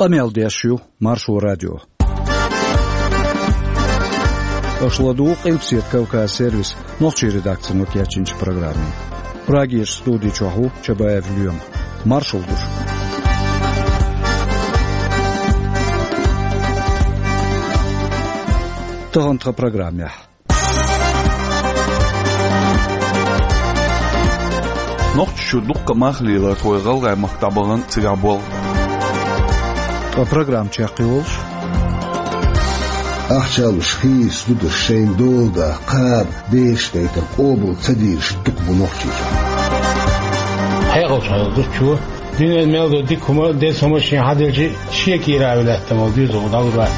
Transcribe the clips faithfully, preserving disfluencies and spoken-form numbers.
Къамел деш ю Маршо радио. Аша ладугӀу Къилбаседа Кавказ сервисан нохчийн редакцино кечйинчу программе. Прагерчу студи чохь ву Чабаев Лоьма. Маршалла ду шуьга. Тахана тхан программехь. Нохчийчуьра дуккха а махлелархой ГӀалгӀай махка дӀабахана цигахь болх бан. Ткъа программа чекхйолуш: ахча луш хийца дударш шайна дола да, кхаба, бераш дайтар къобал ца дийраш дукха бу Нохчийчохь. Хьекъалчу хьайла зудчо, дуьненан мел долу дика хӀума, деза хӀума шен хьаделчи, шен кийра а вилаьттина волу доьзал дӀалур вац.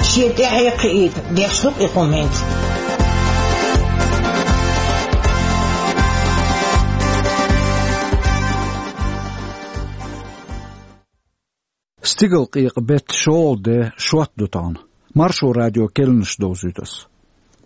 Шен тӀаьхье кхиийта деш ду-кх и хӀума хӀинца. Стигалкъекъа беттан шолгӀа де, шот ду тахана. Маршо радион керланаш довзуьйту ас.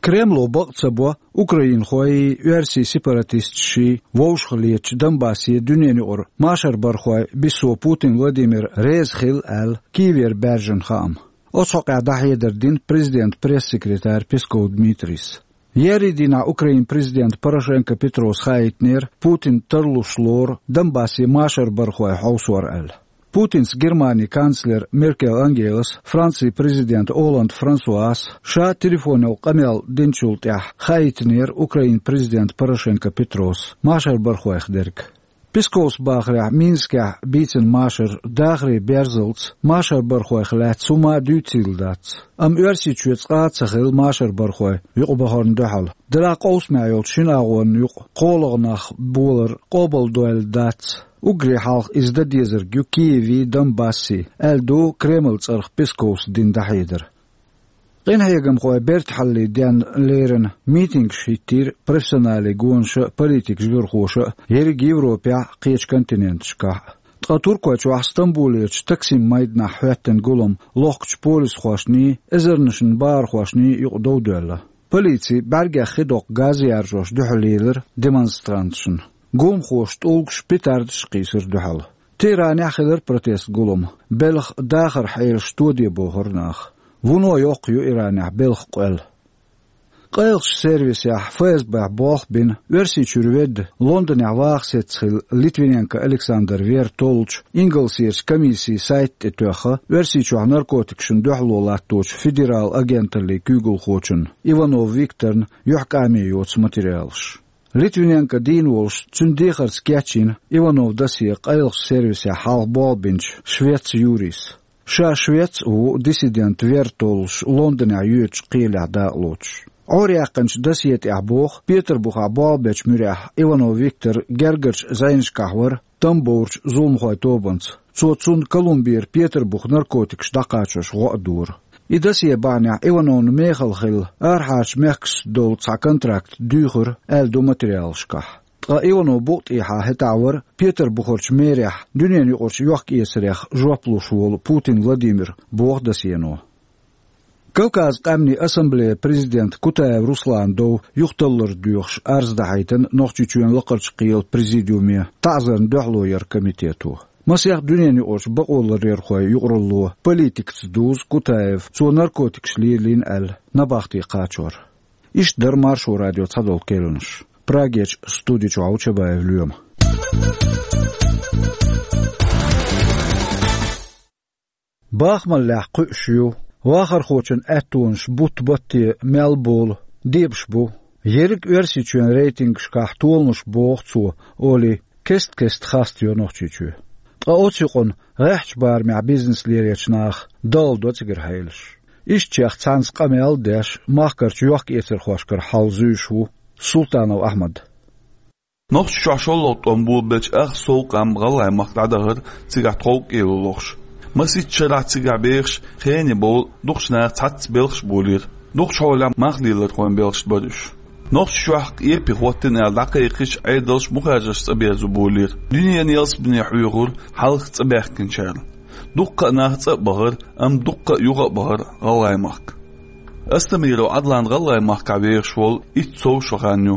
Кремло бакъ ца бо украинхойи оьрсийн сепаратисташи вовшахлетачу Донбассе дуьненан юкъара машарбархой биссо Путин Владимир реза хилла аьлла Киевера баьржина хаам. Оцу хьокъехь дӀахьедар дина президентан пресс-секретарь Песков Дмитрийс. Еарин дийнахь Украинан президента Порошенко Петрос хаийтинера, Путин тарлуш лору Донбассе машарбархой хьовсор аьлла. Путинца Германин канцлера Меркель Ангелас, Францин президента Олланд Франсуас ша телефонехь къамел динчул тӀаьхьа хаийтинера Украинан президента Порошенко Петрос машарбархойх дерг. Песковс бахарехь, Минскехь бийцина машар дахаран берзалц машарбархойх лаьцна хӀумма а дуьйцийла дац. Амма Оьрсийчоь цкъа а ца хилла машарбархой юкъабахарна дуьхьал. Делахь къовсамехь йолчу шина агӀонна юкъа кхоалгӀа нах болар къобалдойла дац. Уггаре хьалха иза дан дезарг ю Киевий, Донбассий, аьлла ду Кремлан цӀарах Песковс дина дӀахьедар. Къинхьегамхой бертахьаллин денна леррина митингаш хӀиттийра профессионалан гонаша а, политикан жоьжахатеша а ерриг Европехь а, кхечу континенташкахь а. Ткъа Туркойчохь Стамбулерчу Таксим майданахь хӀоьттина гулам лохкучу полисхошний, эзарнашна бахархошний юкъа дов доьлла. Полици бӀаьргех хи доккху газ яржош дуьхьал лелира демонстранташна. Гуламхоша тӀулгаш, петардаш а кхийсира дуьхьал. Тегеранехь а хилира протест гулам. Белхан дахаран хьелаш тоде бохура наха. Вуно йоккха ю Иранехь белхан къоьлла. Къайлахчу сервисехь, ФСБ-хь болх бина, Оьрсийчуьра ведда, Лондонехь ваха сецна хилла Литвиненко Александр вер толлучу ингалсерчу комиссин сайта тӀе тоьхна Оьрсийчохь наркотикашна дуьхьало латточу федералан агенталлин куьйгалхочунна Иванов Викторна юьхькӀаме йоцу материалаш. Литвиненко дийна волуш, цуьнан дехарца кечйина Ивановн досье къайлахчу сервисехь хьалха болх бинчу швец Юрис. Ша швец а ву, диссидент вер толлуш Лондонехь йоьдучу кхелехь дакъалоцуш. Ӏораяьккхинчу досье тӀехь боху, Петарбухехь болх бечу муьрехь Иванов Виктор гергарчу зӀенашкахь вара Тамбоврчу зуламхойн тобанца. Цо цунна Колумбера Петарбуха наркотикаш дӀакхачош гӀо а дора. И досье бахьанехь Ивановна мехала хилла арахьарчу мехкашца долу цхьа контракт дуьйхира, аьлла ду материалашкахь. Ткъа Иванов букъа тӀехьа хӀетахь вара Петарбухарчу мэрехь дуьненаюкъарчу йохкаэцарех жоп луш волу Путин Владимир, боху досьено. Кавказан къаьмнийн ассамблеян президента Кутаев Русланан дов юхаталлар доьхуш арз дахьийтина Нохчийчоьнан Лакхарчу кхелан президиуме таӀзарна дуьхьало яран комитето. Масех дуьненаюкъарчу бакъоларъярхойн юкъаралло политикаца дузу Кутаев, цо наркотикаш лелийна аьлла, набахте кхачор. Иштта дара Маршо радион цхьадолу керланаш. Прагерчу студи чохь ву Чабаев Лоьма. Бахамаллехь кхуьуш ю, вахархочун аьттонаш бутт-батте мел болу, дебаш бу. Ерриг Оьрсийчоьнан рейтингашкахь толанаш боху цо, олий, кест-кеста хастайо Нохчийчоь. Ткъа оцу юкъана гӀеххьачу барамехь бизнес лелочу наха далла до цигара хьелаш. Ишттачех цхьаьнца къамел а деш, махкарчу йохкаэцархошкара хьал зуьйш ву Султанов Ахьмад. Нохчийчохь шолгӀа тӀом болабелча ах сов къам ГӀалгӀай махка дӀадахара цигахь тховкӀело лохуш. Масийтта шарахь цигахь бехаш хене бовла дукхачу наха цхьацца белхаш болийра. Дукхачу хьолехь махлелархойн белхаш бара уьш. Нохчийчохь къепе хӀоттийна аьлла дӀакхайкхича, Ӏедалш бухарчу цӀа берзо болийра. Дуьненан ялсамане хьоьхура хьалха цӀа баьхкинчара. Дуккха а нах цӀа а бахара, амма дуккха а юха а бахара ГӀалгӀай махка. Астамиров Ӏадлан ГӀалгӀай махкахь вехаш волу итт сов шо хан ю.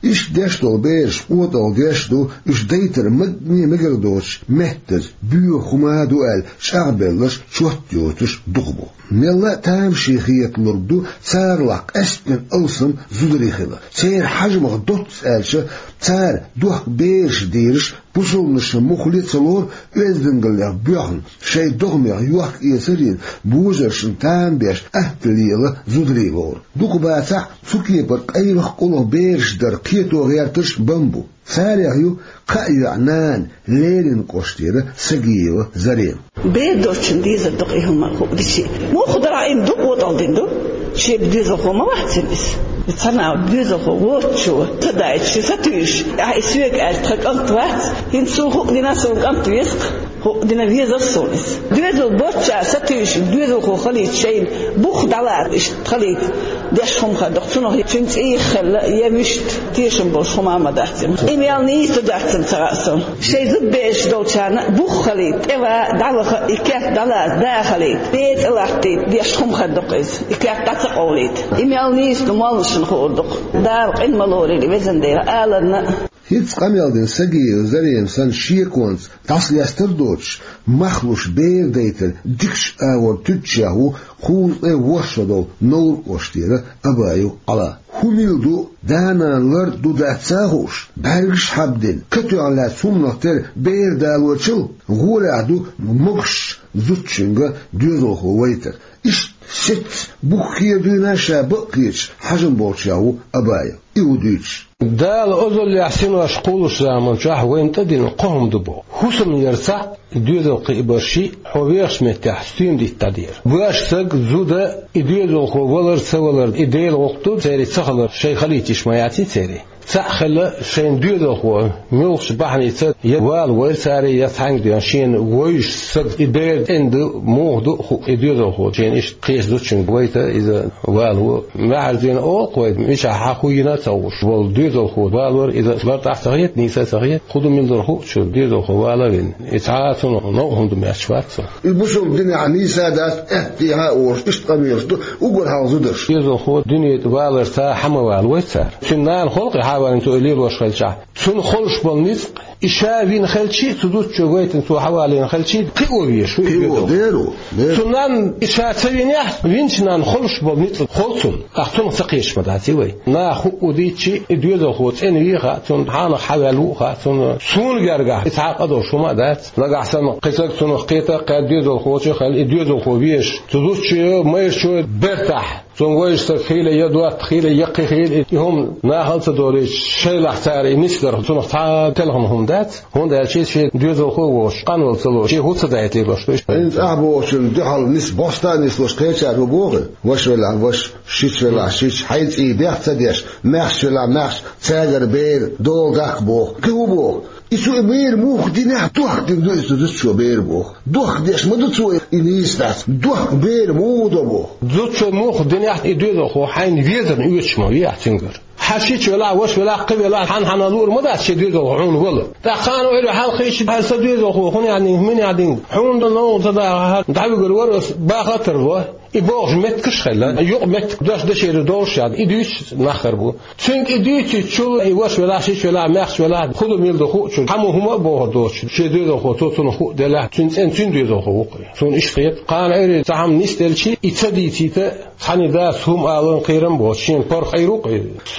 Иштта деш долу бераш къотӀалла деш ду, уьш дайтар магане мегар доцуш меттаза, боьха хӀума ду аьлла, чӀагӀбелларш чот йоцуш дукха бу. Мелла а тамашийна хеталург ду, царалахь къаьсттина алсам зударий хила. Церан хьажамах доцца аьлча, цара дохка бераш дийраш, бусалбанашна муххале а ца лору, оьздангаллех боьхна, шайн догӀмех йохка-эцар йина, божаршна тамаш беш, атта лела зударий лору. Дукха бацахь, цу кепара къайлаха-къулаха бераш дар кхето гӀертарш бан бу. Царех ю кхаа йоӀ нана, Лерина кӀоштера Сагиева Зарема. Бер доцчунна дезар ду-кх и хӀума хууш дичи. Муха дара Ӏийна ду, къотӀалла дина ду. Шен доьзалхо ма вац иза. Цхьана доьзалхо воцучо ца дайта, ша сатуьйсуш, ахь и соьга аьлча, тхан кӀант вац, хӀинца суна хууш дина, суна кӀант веза-кх. Хууш дина веза-кх суна иза. Доьзал боцчара сатуьйсуш, доьзалхо хилийта шайна бух дӀалаца, иштта хилийта деш хӀума хир ду-кх. Цунах цуьнан цӀийх хилла, я муьшта тешам болуш хӀума а ма дац иза. И мел нийса ду-дац ца хаьа суна. Шайн зудабераш долчарна бух хилийта, тӀе ван, дӀаваха, и керт дӀалаца, да хилийта, ден цӀе латтийта деш хӀума хир ду-кх иза. И керт дӀа ца къовлийта. И мел нийса ду молланашна хуур ду-кх. Дала къинхетам лойла, везан Дела, аларна а. ХӀинца къамел дина Сагиева Зарема санна шеконца дӀасалестар а доцуш, мах луш бер дайтар дикачу агӀор туьдучех ву кхузткъе ворхӀ шо долу Невран кӀоштера Абаев Ӏала. ХӀума ду, да-нана лар а ду-дац ца хууш, бӀаьргаш а хьабдина, катоьхна лаьцна хӀуманах тера бер далочул, гӀолехь ду могуш зудчуьнга доьзалхо вайтар. Иштта сецна, бух хера дуьйна ша бакъ кхеташ хьажам болчех ву Абаев. И ву дуьйцуш. Дала озаллехь синош кхуллучу заманчохь вайна тӀедиллина кхо хӀума ду боху. ХӀусамна яр цхьаъ, доьзал кхиабар шиъ, хьо вехачу меттехь стуьйна дита дӀадер. Ваш саг, зуда, и доьзалхо валар а, ца валар а, и Делан гӀуллакх ду, церан ца хилар шайн хилийта йиш ма яц церан. Цхьаъ хилла шайн доьзалхо, муьлххачу бахьаница я вала вайра цара, я цхьаьнгга а шена вевзаш саг, и бер тӀе ду, муха ду а хууш, и доьзалхо шена иштта кхечу зудчуьнга вайта, иза валаво. Маьхьарий зена олу-кх вай, мичахь хьан хӀун йина а ца хууш волу доьзалхо валор, иза лартӀахь а ца хета, нийса а ца хета, хӀун ду мила дара хууш, доьзалхо вала а вина. И цхьа а цунах новкъа хӀума ду моьттуш вац. И бусалба динехь нийса а дац, аьттехьа а олуш, иштта къамелаш ду уггар хьалха зударша. Доьзалхо дуьне тӀе валарца хьан ма валавой цара. Цуьнан нана холу-кх и хьан валийна цо и лелош хилчахь. Цунна холуш болу ницкъ, и ша вина хилчий а, цу зудчо вайтина цо хьан валийна хилчий а, кхио везаш ву и доьзалхо. Кхио дер ву, дер ву. Цу нанна и ша ца винехь, винчу нанна холуш болу ницкъ холу цунна. Ахь цунах ца кхеташ ма дац и вай. Наха хӀуъу дийцчи, и доьзалхо цӀена вийха а, цунна хьанах хьан ваьлла ву а хаьа цунна. Суна гергахь и цхьа а къа долуш хӀума а дац. Нагахь санна кхин саг цунах кхета а кхаьчча, доьзалхочун а хилла, и доьзалхо везаш, цу зудчо, майрачо бертахь, цунна вевзаш саг хилла я дотта хилла, я кхин хилла, и хӀума нахала а ца долуьйтуш, шайлахь цара и нисдар цунах цхьа а телхина хӀума дац, хӀунда аьлча шен доьзалхо а воцуш, къанвала ца лоруш, шен хӀу ца дайта лелош ду. ХӀинца ахь бохучун дуьхьал нис-, бохьуш нисдолуш кхечара хӀун боху? Ваша велахь ваша, шича велахь шича, хьайн цӀий бехк ца деш, маьхча велахь маьхча, цаьргара бер дола даккха боху. Кхин хӀун боху? И цо и бер муха динехь, дохка дина ду иза зудчо бер боху. Дохка деш ма ду цо и, нийса дац. Дохка бер муха до боху. Зудчо муха динехь, и доьзалхо хьайна везарна оьшуш ма вехь цуьнгара. Хьан шича велахь, ваша велахь, кхин велахь, хьан-хьанна луур ма дац шен доьзалхо хьуна вала. ТӀаккха кхана ойла хьалха хиъча, хьан сан доьзалхо хӀун яхьдинг, мин яхьдинг, хьуна дан новкъа ца даха, дӀавигар вара ас, баха а тарло. И бохуш меттигаш хилла, юкъа меттиг дош дашера долуш яхьа, и дуьйцуш нах хир бу. Цуьнга и дуьйцучул, и ваша велахь, шича велахь, маьхча велахь, хӀун ду мила ду хууш, хьан ма хӀума а бохур доцуш, шен доьзалхо цо цунах хӀуъу делахь, цуьнан цӀена цуьнан доьзалхо ву-кх. Суна иштта хета, кхана Ӏуьйре цхьа хӀума нисделчи, и ца дийцийта, цхьаьна дас хӀума алан кхерам боцуш, шена паргӀат хир ву-кх.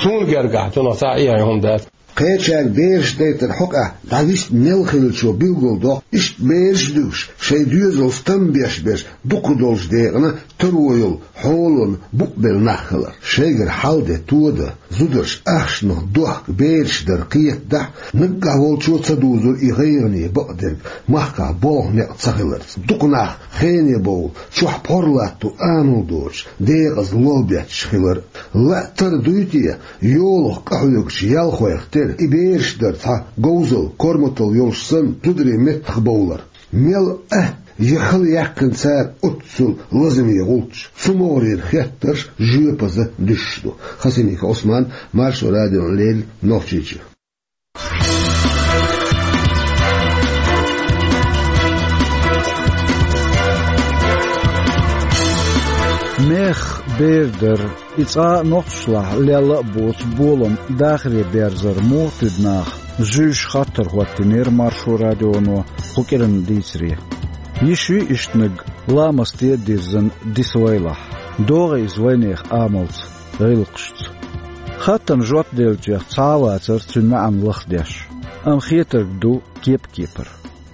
Суна гергахь, цунах цхьа а эхь хӀума дац. Кхечаьрга бераш дайтаран хьокъехь дӀавист мел хиллачо билгалдоккху, иштта бераш а дуьгуш, шайн доьзалца там беш берш дукха долчу декъана таро йолу хьолана букъ белла нах хилар. Шайгара хьал де тодан, зударша ахчанах дохка бераш дар кхетадахь, наггахь волчо ца дузура и гӀайгӀане бакъдерг махкахь болх-некъ ца хиларца. Дукха нах хене бовла, чохь пхьор латто амал доцуш, декъаза лол бетташ хилар. Лаьттара дуй те, йолах къахьоьгучу ялхойх тера и бераш дар цхьа говзалла, корматалла йолуш санна, зударийн меттах бовлар. Мел атта я хала яьккхина цара оццул лазаме гӀулч, цу могӀарера хеттарш жоьпаза дуьсуш ду. Хасимиков Ӏусман, Маршо радиона леррина, Нохчийчоь. Мехах бер дар, и цкъа а нохчашлахь лелла а боцу болам дахаре берзар муха туьду наха? Зуьйш хаттар хӀоттийнера Маршо радионо кху кӀиранан дийцаре. Йиш юй иштаниг ламасте а дирзина дисавайлахь? ДогӀий иза вайнехан амалца, гӀиллакхашца? Хаттарна жоп деллачех цхьа а вацара цуьнан маьӀна лахдеш, амма хетарг ду кеп-кепара.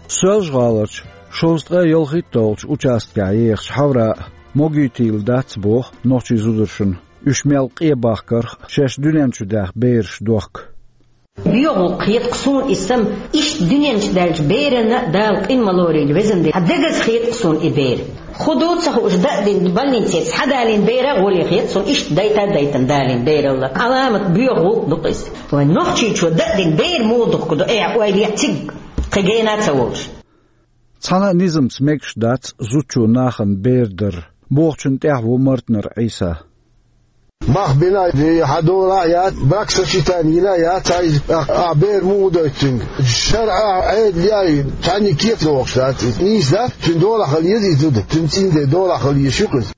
Соьлжа-ГӀаларчу шовзткъе ялхитталгӀачу участкехь ехачу хьавра а могуьйтийла дац боху нохчийн зударшна, уьш мел къе бахкарх а, шаьш дуьнен чу даьхна бераш дохка. Боьха гӀуллакх хета-кх суна и сама, иштта дуьнен чу даьллачу беранна Дала къин ма лорийла, везан Дела, хьан дегаза хета-кх суна и бер. ХӀун ду ца хууш, даа дина больницеца схьадалийна бер а гӀоле хета суна, иштта дайта а дайтина далийна бералла. Ӏаламат боьха гӀуллакх ду-кх иза. Вайн Нохчийчо даа дина бер муха духку ду, эхь, ойла е цига, кхин гена а ца волуш. Цхьана а низамца мегаш дац зудчо нахана бер дар, бохучунна тӀаьхьа ву Мартнер Ӏийса. Мах бина а, хьан дола а яц, бракосочетание йина а яц, цхьа иза, ахь бер муха дойту цуьнга? ШарӀа, Ӏедал яй, цхьаьнниг кеца вохуш дац иза. Нийса дац, цуьнан долахь хила еза иза зуда, цуьнан цӀийнан ден долахь хила еза шу-кх иза.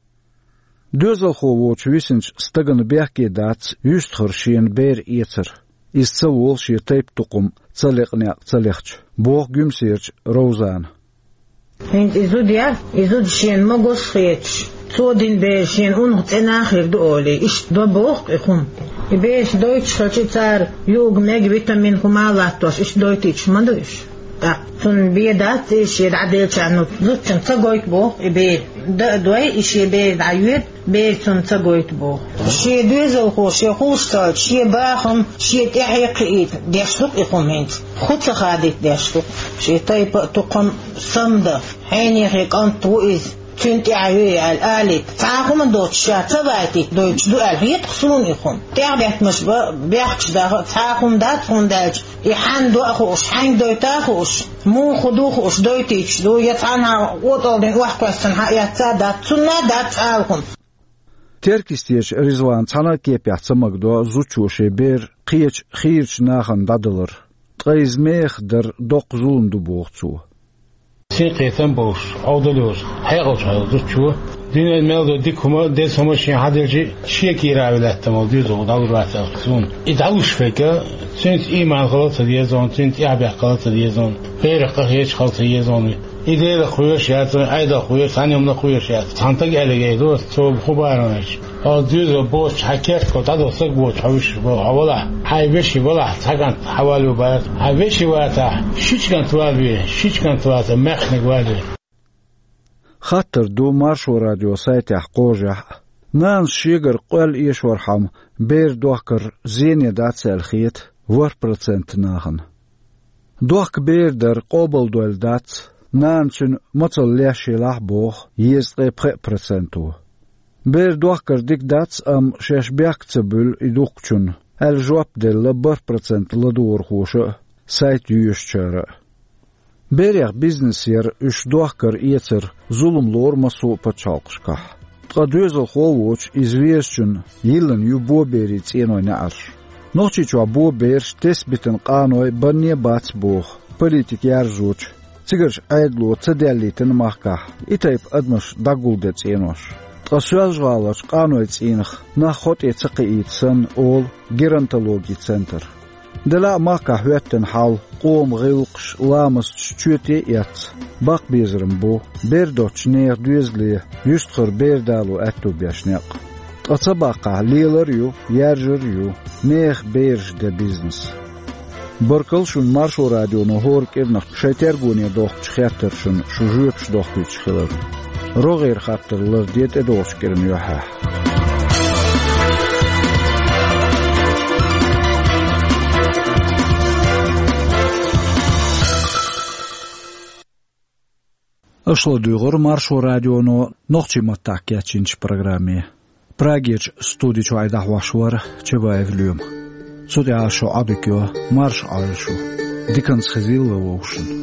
Доьзалхо воцуш висинчу стагана бехке дац юьстахара шена бер эцар, иза ца волу шен тайп-тукхам ца лекъа некъ ца лехча, боху Гуьмсерчу Ровзана. ХӀинца и зуда яра, и зуда шена могуш а хеташ, цо дина бер шена унах цӀена а хир ду олий, иштта до боху-кх и хӀума. И бераш дойтуш хилча, цара юург, мега, витамин хӀума а латтош, иштта дойтуьйтуш ма ду уьш. ТӀаккха цунна бен дац иза шен дӀаделлачарна, зудчунна ца гойту боху и бер. Даа а дой, и шен бер дӀайоьду, бер цунна ца гойту боху. Шен доьзалхо, шен хууш ца хилча, шен бахам шен тӀаьхье кхиийта деш ду-кх и хӀума хӀинца. ХӀун ца хадийта деш ду-кх? Шен тайпа а, тукхам а сама дан, хьенехе кӀант ву иза, цуьнан тӀаьхье ю аьлла, алийта, цхьа а хӀума доцуш ша ца вайтийта дойтуш ду аьлла хета-кх суна и хӀума. ТӀаьхьабеттамаш бан бехкаш даха а цхьа а хӀума дац, хӀунда аьлча и хьанна до а хууш, хьаьнга дойту а хууш, муха хӀун ду а хууш, дойтуьйтуш ду, я цхьанхьа отӀалдина охьакхоьссина хьаэцна а дац, цунна а дац ала хӀума. Теркйистечу Ризвана цхьана а кепехь ца магадо зудчо шен бер кхечу хийрачу нахана дӀадалар. Ткъа иза мехах дар доккха зулам ду, боху цо. Синкхетам а болуш, Ӏовдал йолуш, хьекъалчу хьал зудчо, дуьненан мел долу дика хӀума а, деза хӀума а шен хьаделча а, шен кийра вилаьттина волу доьзалхо дӀалур вац аьлла суна. И дӀалуш верг, цуьнца ийман хила а ца деза хьуна, цуьнца тӀаьхьабехк хила а ца деза хьуна, берах къа хеташ хила а ца еза хьуна. И Делах кхоьруш яц, Ӏедалх кхоьруш, цхьана хӀуманах кхоьруш яц. Цхьана стага аьлларг ду, цо хӀун барам аьлча, хьо доьзал боцуш, хьан керта кхо дӀадо стаг воцуш хьо вуьйш ву, хьо валахь, хьайн вешин валахь, цхьа кӀант хьан валаве бара, хьайн вешин вацахь, шича кӀант валаве, шича кӀант вацахь, маьхниг валаве. Хаттар ду Маршо радион сайтехь кхожехь а. Нанас шегара къоьлла эшорхьама бер дохкар зене дац аьлла хета ворхӀ процент нахана. Дохка бер дар къобалдойла дац, нана цуьнан мацалла леш елахь а, боху езткъе пхеа проценто. Бер дохкар дика дац, амма шаьш бехк ца буьллу и духкучунна, аьлла жоп делла бархӀ процент ладугӀурхоша а, сайт йоьшучара а. Берех бизнес яр, уьш дохкар-эцар зулам лору массо а пачхьалкхашкахь. Ткъа доьзалхо а воцуш, иза везачунна йиллина ю боберийн цӀенойн неӀарш. Нохчийчохь бобераш тесна битина къаной банне а бац боху политика яржочу, цигарчу Ӏедало ца даьллийтина махкахь и тайпа адамаш дӀагулден цӀенош. Ткъа Соьлжа-ГӀаларчу къанойн цӀийнах нах хьо тӀе ца кхиийта санна, олу геронтологин центр. Делахь а махкахь хӀоьттина хьал, къоман гӀиллакхаш, ламасташ чоьте а эцна, баккха безаран бу бер доцучу нехан доьзале юьстахара бер дало аьтто беш некъ. Ткъа ца баккхахь, лелар а ю, яржар а ю нехан бераш ден бизнес. Баркалла шуна Маршо радионо хӀора кӀиранах шайн тергоне дохкучу хеттаршна шу жоьпаш дохкуьйтуш хиларна. РогӀера хаттар ларде тӀедогӀучу кӀиран юьххьехь. Аша ладуьйгӀура Маршо радионо нохчийн маттахь кечйинчу программе. Прагерчу студи чуьра дӀахьош вара Чабаев Лоьма. Цу тӀехь шу Ӏодика йо, марша Ӏойла шу. Диканца хезийла вовшашна.